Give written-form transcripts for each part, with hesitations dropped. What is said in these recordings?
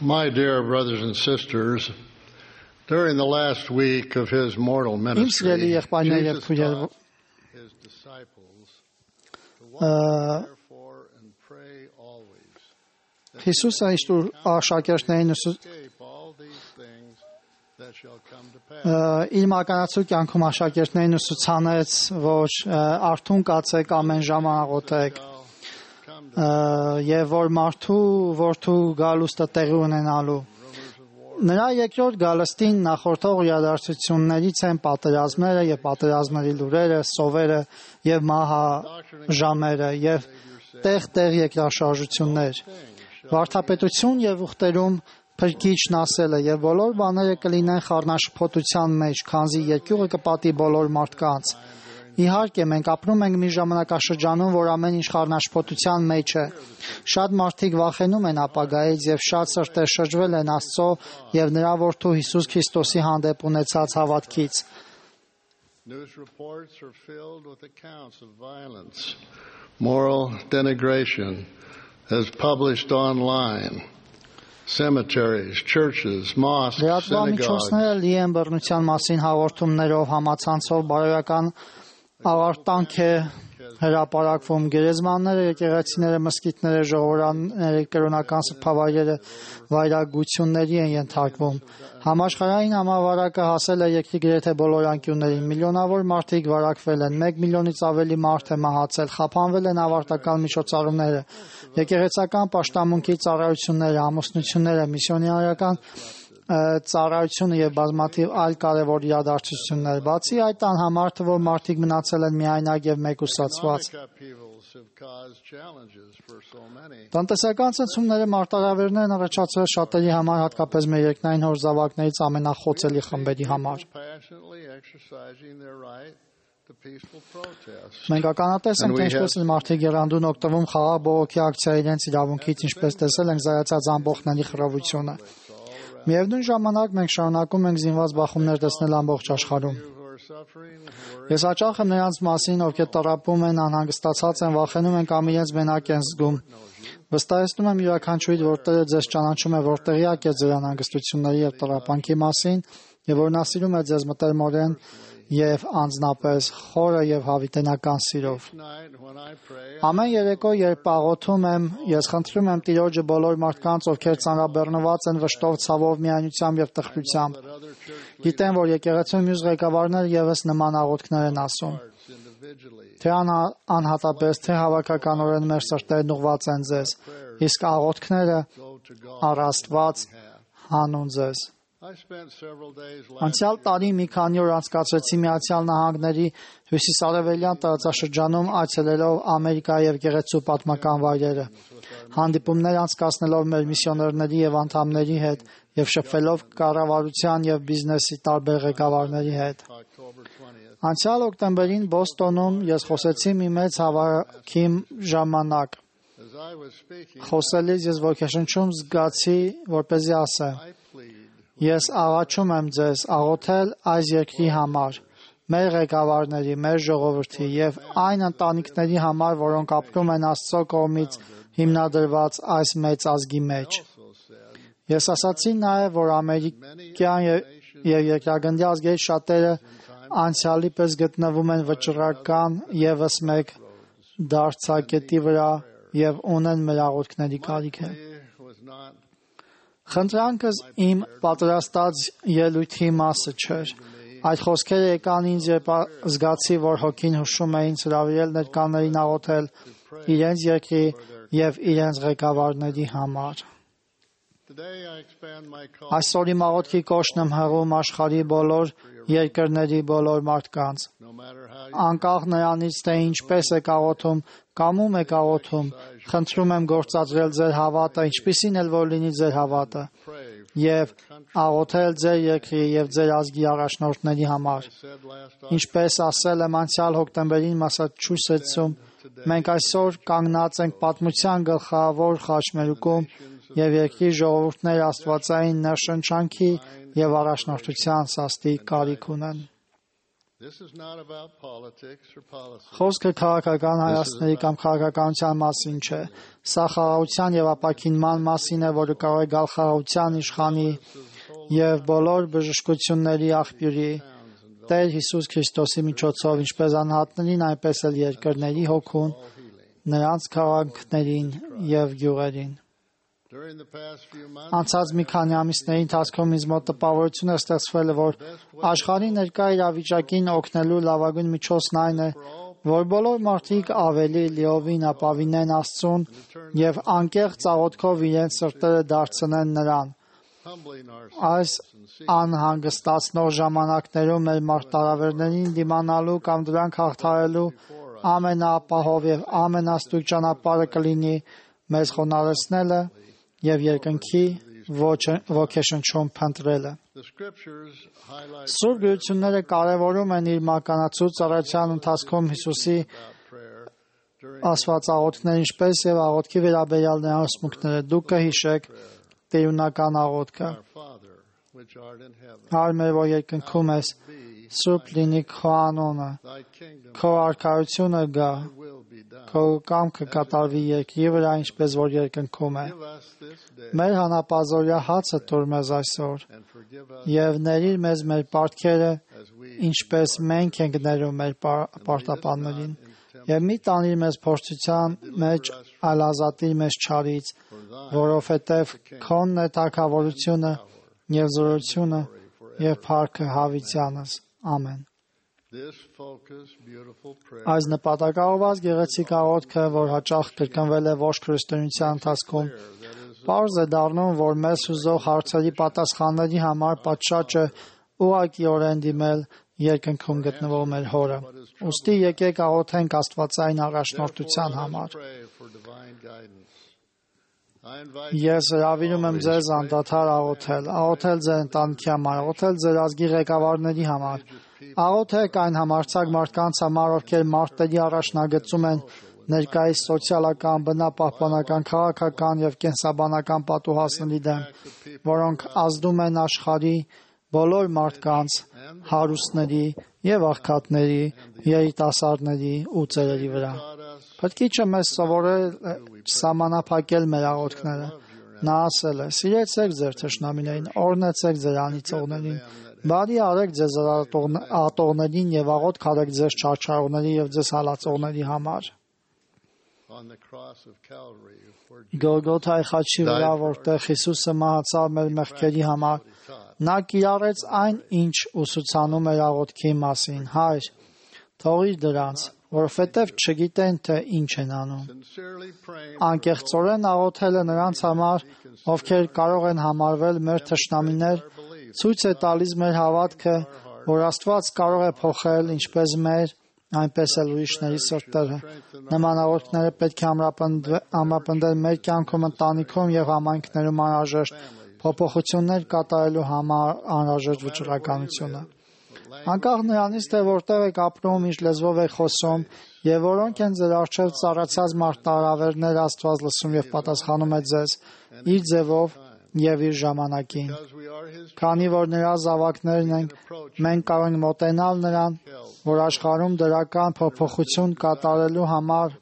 My dear brothers and sisters, during the last week of his mortal ministry, Jesus taught his disciples to watch therefore and pray always. Հիսուսը աշակերտներին իր մականացու կյանքում աշակերտներին ուսուցանեց, որ արթուն կացեք, ամեն ժամ աղոթեք, եւ որ մարդու որդու գալուստը տեղի ունենալու։ Նրա երկրորդ գալստին նախորդող իրադարձություններից են պատերազմները եւ պատերազմների լուրերը, սովերը եւ մահաժամերը եւ տեղ երկրաշարժություններ։ Վարդապետություն եւ ուխտերում Փրկիչն ասել է եւ բոլոր բաները կլինեն խառնաշփոթության մեջ, քանզի երկյուղը կպատի բոլոր մարդկանց։ Իհարկե, մենք ապրում ենք մի ժամանակաշրջանում, որ ամեն ինչ խառնաշփոթության մեջ է։ Շատ մարդիկ վախենում են ապագայից եւ շատ սրտեր շրջվել են Աստծո եւ նրա որդու Հիսուս Քրիստոսի հանդեպ ունեցած հավատքից։ News reports are filled with accounts of violence, moral denigration, as published online. Cemeteries, churches, mosques, synagogues. Լի են բռնության մասին հաղորդումներով, համացանցով, բարոյական ավարտանք է հրապարակվում, գերեզմանները, եկեղեցիները, մզկիթները, ժողովուրդները, կրոնական սրբավայրերը վայրագությունների են ենթարկվում։ Համաշխարհային համավարակը հասել է երկրի գրեթե բոլոր անկյուններին, միլիոնավոր մարդիկ վարակվել են, 1 միլիոնից ավելի մարդ է մահացել, խափանվել են ավարտական միջոցառումները, եկեղեցական պաշտամունքի ծառայությունները, ամուսնությունները, միսիոներական ծառայությունը եւ բազմաթիվ այլ կարևոր իրադարձություններ։ Բացի այդ, անհամար թվով մարդիկ մնացել են միայնակ եւ մեկուսացված։ Տնտեսական ցնցումները մարտահրավերներ են առաջացրել շատերի համար, հատկապես մեր երկնային հոր զավակներից ամենախոցելի խմբերի համար։ Մենք ականատես ենք, թե ինչպես են մարդիկ եռանդուն օգտվում խաղաղ բողոքի ակցիայի իրենց իրավունքից, ինչպես տեսել ենք զայացած ամբողջների խռովությունը։ Միևնույն ժամանակ մենք շարունակում ենք զինված բախումներ տեսնել ամբողջ աշխարհում։ Ես հաճախ եմ նրանց մասին, ովքեր տառապում են, անհանգստացած են, վախենում են կամ իրենց մենակ են զգում։ Վստահեցնում եմ յուրաքանչյուրի, որ Տերը ձեզ ճանաչում է, որ տեղյակ է ձեր անհանգստությունների եւ տառապանքի մասին, եւ որ նա սիրում է ձեզ մտերմորեն եւ անձնապես խորը եւ հավիտենական սիրով։ Ամեն երեկո, երբ աղոթում եմ, ես խնդրում եմ Տիրոջը բոլոր մարդկանց, ովքեր ծանրաբեռնված են վշտով, ցավով, միայնությամբ եւ տխրությամբ։ Գիտեմ, որ եկեղեցու մյուս ղեկավարները եւս նման աղոթքներ են ասում։ Թե անհատապես, թե հավաքականորեն մեր սրտերն ուղղված են ձեզ, իսկ աղոթքները առ Աստված հանուն ձեզ։ Անցյալ տարի մի քանի օր անցկացրեցի Միացյալ Նահանգների հյուսիսարևելյան տարածաշրջանում այցելելով Ամերիկա եւ Գեղեցու պատմական վայրերը, հանդիպումներ անցկացնելով մեր միսիոներների եւ անդամների հետ եւ շփվելով կառավարության եւ բիզնեսի տարբեր ղեկավարների հետ։ Անցյալ օկտեմբերին Բոստոնում ես խոսեցի մի մեծ հավաքի ժամանակ։ Խոսելիս ես ոգեշնչում զգացի, որպեսզի ասեմ. Ես աղաչում եմ ձեզ աղոթել այս երկրի համար, մեր ղեկավարների, մեր ժողովրդի եւ այն ընտանիքների համար, որոնք ապրում են Աստծո կողմից հիմնադրված այս մեծ ազգի մեջ։ Ես ասացի նաեւ, որ ամերիկյան եւ երկրագնդի ազգերի շատերը անցյալի պես գտնվում են վճռական եւս մեկ դարձակետի վրա եւ ունեն մեր աղոթքների կարիք է։ Խնդրանքս իմ պատրաստած ելույթի մասը չէր։ Այդ խոսքերը եկան ինձ, երբ զգացի, որ հոգին հուշում է ինձ հրավիրել ներկաներին աղոթել իրենց երկրի եւ իրենց ղեկավարների համար։ Այսօր իմ աղոթքի կոչն եմ հղում աշխարհի բոլոր երկրների բոլոր մարդկանց։ Անկախ նրանից, թե ինչպես եք աղոթում կամ ում եք աղոթում, խնդրում եմ գործադրել ձեր հավատը, ինչպիսին էլ որ լինի ձեր հավատը, եւ աղոթել ձեր երկրի եւ ձեր ազգի առաջնորդների համար։ Ինչպես ասել եմ անցյալ հոկտեմբերին Մասաչուսեթսում, մենք այսօր կանգնած ենք պատմության գլխավոր խաչմերուկում եւ երկրի ժողովուրդները աստվածային ներշնչանքի եւ առաջնորդության սաստիկ կարիք ունեն։ Խոսքը քաղաքական հայացքների կամ քաղաքականության մասին չէ։ Սա խաղաղության եւ ապաքինման մասին է, որը կարող է գալ խաղաղության, իշխանի եւ բոլոր բժշկությունների աղբյուրի Տեր Հիսուս Քրիստոսի միջոցով, ինչպես անհատներին, այնպես էլ երկրների հոգուն, նրանց քաղաքներին եւ գյուղերին։ Անցած մի քանի ամիսների ընթացքում ինձ մոտ տպավորություն է ստեղծվել, որ աշխարհի ներկա իրավիճակին օգնելու լավագույն միջոցն այն է, որ բոլոր մարդիկ ավելի լիովին ապավինեն Աստծուն եւ անկեղծ աղոթքով իրենց սրտերը դարձնեն նրան։ Այս անհանգստացնող ժամանակներում մեր մարտահրավերներին դիմանալու կամ դրանք հաղթահարելու ամենաապահով եւ ամենաստույգ ճանապարհը կլինի մեզ խոնարհեցնելը եւ երկնքի ոգեշնչում փնտրելը։ Սուրբ գրությունները կարևորում են իր մականացու ծառայության ընթացքում Հիսուսի ասված աղոթքները, ինչպես եւ աղոթքի վերաբերյալ նրա ուսմունքները։ Դուք կհիշեք տերունական աղոթքը. Հայր մեր, որ երկնքում ես, սուրբ լինի քո անունը, քո արքայությունը գա, քո կամքը կատարվի երկրի վրա, ինչպես որ երկնքում է։ Մեր հանապազօրյա հացը տուր մեզ այսօր, եւ ների՛ր մեզ մեր պարտքերը, ինչպես մենք ենք ներում մեր պարտապաններին, եւ մի տանիր մեզ փորձության մեջ, այլ ազատիր մեզ չարից, որովհետեւ քոնն է թագավորությունը եւ զորությունը եւ փառքը հավիտյանս։ Ամեն։ Այս նպատակաուղղված գեղեցիկ աղոթքը, որ հաճախ կրկնվել է ողջ քրիստոնեության ընթացքում, պարզ է դառնում, որ մեզ հուզող հարցերի պատասխանների համար պատշաճը ուղղակիորեն դիմել երկնքում գտնվող մեր Հորը։ Ուստի եկեք աղոթենք Աստվածային առաջնորդության համար։ Ես հրավիրում եմ ձեզ անդադար աղոթել ձեր ընտանիքի համար, աղոթել ձեր ազգի ղեկավարների համար, աղոթեք այն համարձակ մարդկանց համար, ովքեր մարտերի առաջնագծում են ներկայիս սոցիալական, բնապահպանական, քաղաքական եւ կենսաբանական պատուհասների դեմ, որոնք ազդում են աշխարհի բոլոր մարդկանց, հարուստների եւ աղքատների, երիտասարդների ու ծերերի վրա։ Փրկիչը մեզ սովորել է սահմանափակել մեր աղոթքները։ Նա ասել է. «Սիրեցեք ձեր թշնամիներին, օրհնեցեք ձեր անիծողներին, բարի արեք ձեզ ատողներին եւ աղոթք արեք ձեզ չարչարողների եւ ձեզ հալածողների համար»։ Գողգոթայի խաչի վրա, որտեղ Հիսուսը մահացավ մեր մեղքերի համար, նա կիրառեց այն, ինչ ուսուցանում էր աղոթքի մասին. «Հայր, թողիր դրանց, որովհետև չգիտեն, թե ինչ են անում»։ Անկեղծորեն աղոթելը նրանց համար, ովքեր կարող են համարվել մեր թշնամիներ, ցույց է տալիս մեր հավատքը, որ Աստված կարող է փոխել ինչպես մեր, այնպես էլ ուրիշների սրտերը։ Նման աղոթքները պետք է ամրապնդել մեր կյանքում, ընտանիքում եւ համայնքներում անհրաժեշտ փոփոխություններ կատարելու համար անհրաժեշտ վճռականությունը։ Անկախ նրանից, թե որտեղ եք ապրում, ինչ լեզվով եք խոսում եւ որոնք են ձեր առջեւ ծառացած մարտահրավերները, Աստված լսում եւ պատասխանում է ձեզ իր ձևով եւ իր ժամանակին։ Քանի որ նրա զավակներն ենք, մենք կարող ենք մոտենալ նրան, որ աշխարհում դրական փոփոխություն կատարելու համար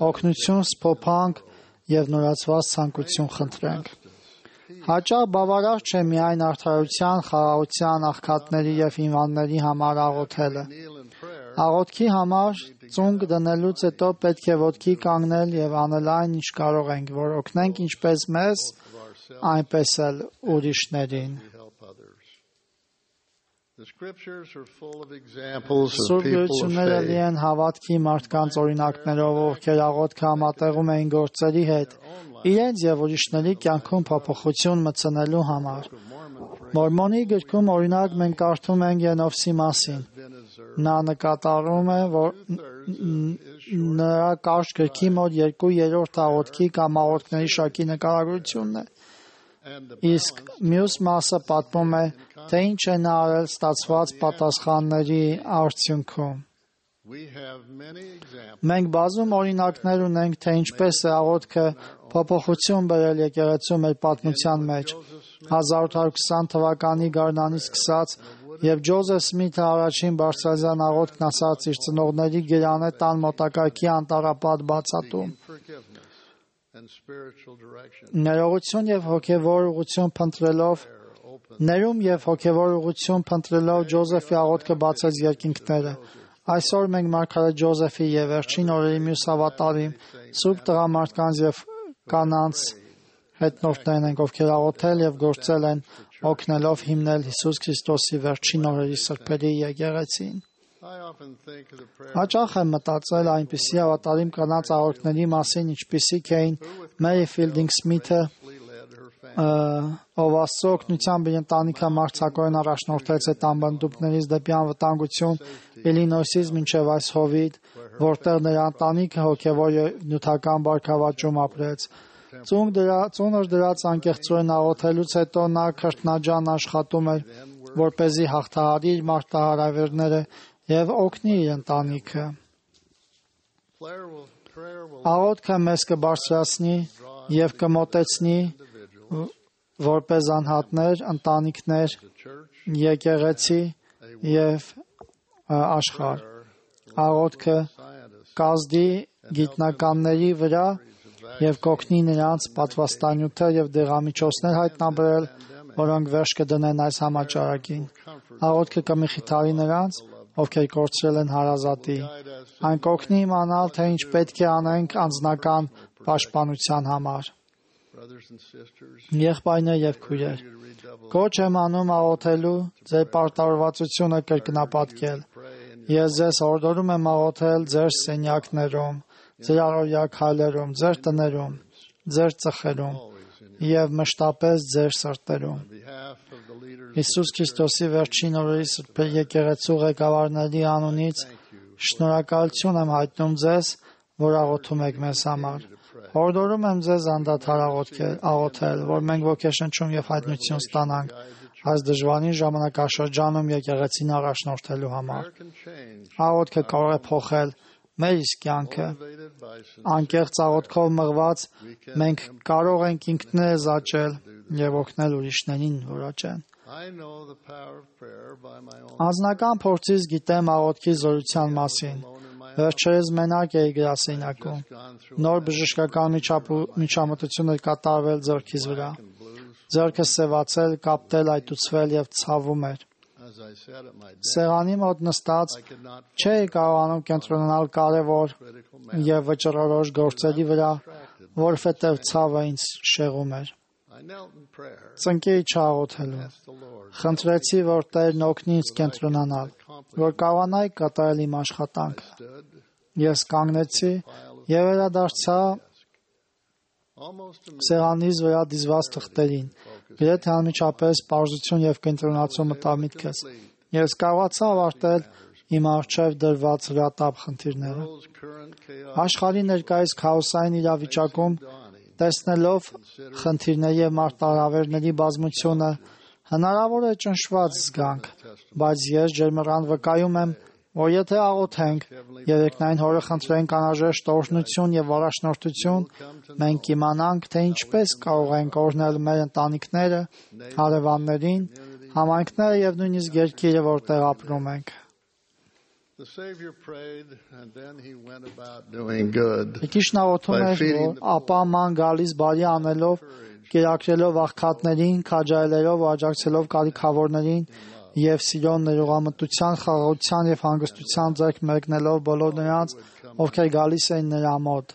օգնություն, սփոփանք եւ նորացված ցանկություն խնդրենք։ Հաճախ բավարար չէ միայն արդարության, խաղաղության, աղքատների եւ հիվանդների համար աղոթելը։ Աղոթքի համար ծունկ դնելուց հետո պետք է ոտքի կանգնել եւ անել այն, ինչ կարող ենք, որ օգնենք ինչպես մեզ, այնպես էլ ուրիշներին։ Սուրբ գրությունները լի են հավատքի մարդկանց օրինակներով, ովքեր աղոթքը համատեղում էին գործերի հետ, իրենց եւ ուրիշների կյանքում փոփոխություն մտցնելու համար։ Մորմոնի գրքում օրինակ մենք կարդում ենք Ենովսի մասին։ Նա նկատառում է, որ նրա կարճ գրքի մոտ 2/3 աղոթքի կամ աղոթքների շարքի նկարագրությունն է։ Իսկ մյուս մասը պատմում է, թե ինչ է նա արել ստացված պատասխանների արդյունքում։ Մենք բազում օրինակներ ունենք, թե ինչպես է աղոթքը փոփոխություն բերել եկեղեցու մեր պատմության մեջ։ 1820 թվականի գարնանից սկսած Եվ Ջոզեֆ Սմիթը առաջին բարձրազան աղոթքն ասաց իր ծնողների գերանե տան մոտակայքի անտառապատ բացատում։ Ներողություն եւ հոգեվոր ուղղություն փնտրելով ներում եւ հոգեվոր ուղղություն փնտրելով Ջոզեֆի աղոթքը բացեց երկինքները։ Այսօր մենք մարգարետ Ջոզեֆի եւ վերջին օրերի մյուս հավատարիմ սուրբ տղամարդկանց եւ կանանց հետնորդներն ենք, ովքեր աղոթել եւ գործել են օգնելով հիմնել Հիսուս Քրիստոսի վերջին օրերի սրբերի եկեղեցին։ Հաճախ եմ մտածել այնպիսի հավատարիմ կանանց աղոթքների մասին, ինչպիսիք էին Մերի Ֆիլդինգ Սմիթը, ով Աստծո օգնությամբ իր ընտանիքը մարտհակորեն առաջնորդեց այդ անբնդուկներից դեպի անվտանգություն Իլինոյսից մինչև այս հովիտ, որտեղ նրա ընտանիքը հոգևոր եւ նյութական բարգավաճում ապրեց։ Ծունր դրած անկեղծորեն աղոթելուց հետո նա քրտնաջան աշխատում էր, որպեսզի հաղթահարի իր մարտահրավերները եւ օգնի իր ընտանիքը։ Աղոթքը մեզ կբարձրացնի եւ կմոտեցնի որպես անհատներ, ընտանիքներ, եկեղեցի եւ աշխարհ։ Աղոթքը կազդի գիտնականների վրա եւ կօգնի նրանց պատվաստանյութը եւ դեղամիջոցներ հայտնաբերել, որոնք վերջ կդնեն այս համաճարակին։ Աղոթքը կմխիթարի նրանց, ովքեր կորցրել են հարազատի։ Այն կօգնի իմանալ, թե ինչ պետք է անենք անձնական պաշտպանության համար։ Եղբայրներ եւ քույրեր, կոչ եմ անում աղոթելու, ձեր պարտավորվածությունը կրկնապատկել։ Ես ձեզ հորդորում եմ աղոթել ձեր սենյակներում, ձեր առօրյա քայլերում, ձեր տներում, ձեր ծխերում եւ մշտապես ձեր սրտերում։ Հիսուս Քրիստոսի վերջին օրերի սրբերի եկեղեցու ղեկավարների անունից շնորհակալություն եմ հայտնում ձեզ, որ աղոթում եք մեզ համար։ Հորդորում եմ ձեզ անդադար աղոթել, որ մենք ոգեշնչում եւ հայտնություն ստանանք այս դժվարին ժամանակաշրջանում եկեղեցին առաջնորդելու համար։ Աղոթքը կարող է փոխել մեր իսկ կյանքը։ Անկեղծ աղոթքով մղված մենք կարող ենք ինքներս աճել եւ օգնել ուրիշներին, որ աճեն։ Անձնական փորձից գիտեմ աղոթքի զորության մասին։ Վերջերս մենակ էի գրասենյակում։ Նոր բժշկական միջամտություն էր կատարվել ձեռքիս վրա։ Ձեռքը սևացել, կապտել, այտուցվել եւ ցավում էր։ Սեղանի մոտ նստած չէի կարողանում կենտրոնանալ կարևոր եւ վճռորոշ գործերի վրա, որովհետեւ ցավը ինձ շեղում էր։ Ծնկեի չաղոթելու։ Խնդրեցի, որ Տերն օգնի ինձ կենտրոնանալ, որ կարողանայի կատարել իմ աշխատանքը։ Ես կանգնեցի եւ վերադարձա սեղանիս վրա դիզված թղթերին, գրեթե անմիջապես պարզություն եւ կենտրոնացում մտավ միտքս։ Ես կարողացա ավարտել իմ առջև դրված հրատապ խնդիրները։ Աշխարհի ներկայիս քաոսային իրավիճակում տեսնելով խնդիրների եւ մարտահրավերների բազմությունը հնարավոր է ճնշված զգանք, բայց ես ջերմռան վկայում եմ, որ եթե աղոթենք, երեկնային հորը խնդրենք անհրաժեշտ օրհնություն եւ առաջնորդություն, մենք կիմանանք, թե ինչպես կարող ենք օրհնել մեր ընտանիքները, հարևաններին, համայնքները եւ նույնիսկ երկիրը, որտեղ ապրում ենք։ Քրիստոսն աղոթում էր, որ ապա ման գալիս բարի անելով, կերակրելով աղքատներին, քաջայելելով ու աջակցելով կարիքավորներին եւ սիրո ներողամտության, խաղաղության եւ հանգստության ձեռք մեկնելով բոլոր նրանց, ովքեր գալիս էին նրա մոտ։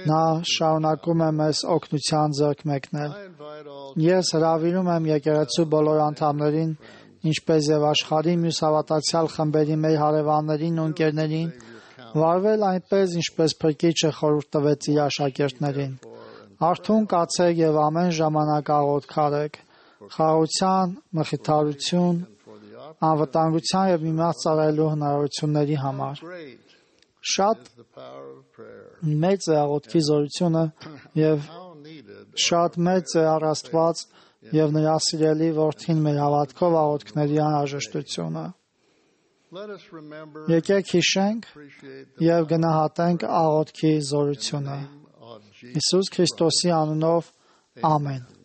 Նա շարունակում է մեզ օգնության ձեռք մեկնել։ Ես հրավիրում եմ եկեղեցու բոլոր անդամներին, ինչպես եւ աշխարհի մյուս հավատացյալ խմբերի մեր հարևաններին ու ընկերներին, վարվել այնպես, ինչպես Փրկիչը խորհուրդ տվեց իր աշակերտներին։ Արթուն կացեք եւ ամեն ժամանակ աղոթք, խաղաղության, մխիթարություն, անվտանգության եւ միմյանց ծառայելու հնարավորությունների համար։ Շատ մեծ է աղոթքի զորությունը եւ շատ մեծ է առ Աստված եւ նրա սիրելի որդին մեր հավատքով աղոթքների անհրաժեշտությունը։ Եկեք հիշենք եւ գնահատենք աղոթքի զորությունը։ Հիսուս Քրիստոսի անունով ամեն։